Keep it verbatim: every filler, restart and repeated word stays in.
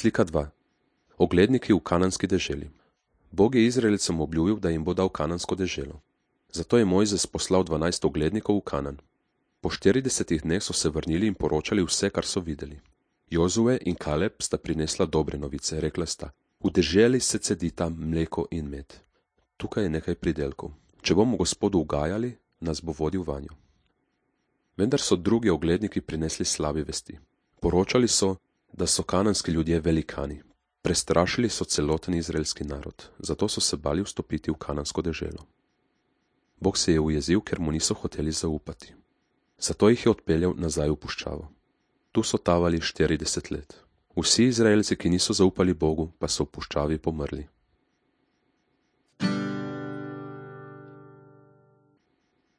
Slika dva. Ogledniki v kananski deželi. Bog je Izraelcem obljubil, da jim bo dal kanansko deželo. Zato je Mojzes poslal dvanajst oglednikov v Kanan. Po štiridesetih dneh so se vrnili in poročali vse, kar so videli. Jozue in Kaleb sta prinesla dobre novice, rekla sta: v deželi se cedita mleko in med. Tukaj je nekaj pridelkov. Če bomo Gospodu ugajali, nas bo vodil vanjo. Vendar so drugi ogledniki prinesli slabe vesti. Poročali so, da so kananski ljudje velikani. Prestrašili so celoten izraelski narod, zato so se bali vstopiti v kanansko deželo. Bog se je ujezil, ker mu niso hoteli zaupati. Zato jih je odpeljal nazaj v puščavo. Tu so tavali štirideset let. Vsi Izraelci, ki niso zaupali Bogu, pa so v puščavi pomrli.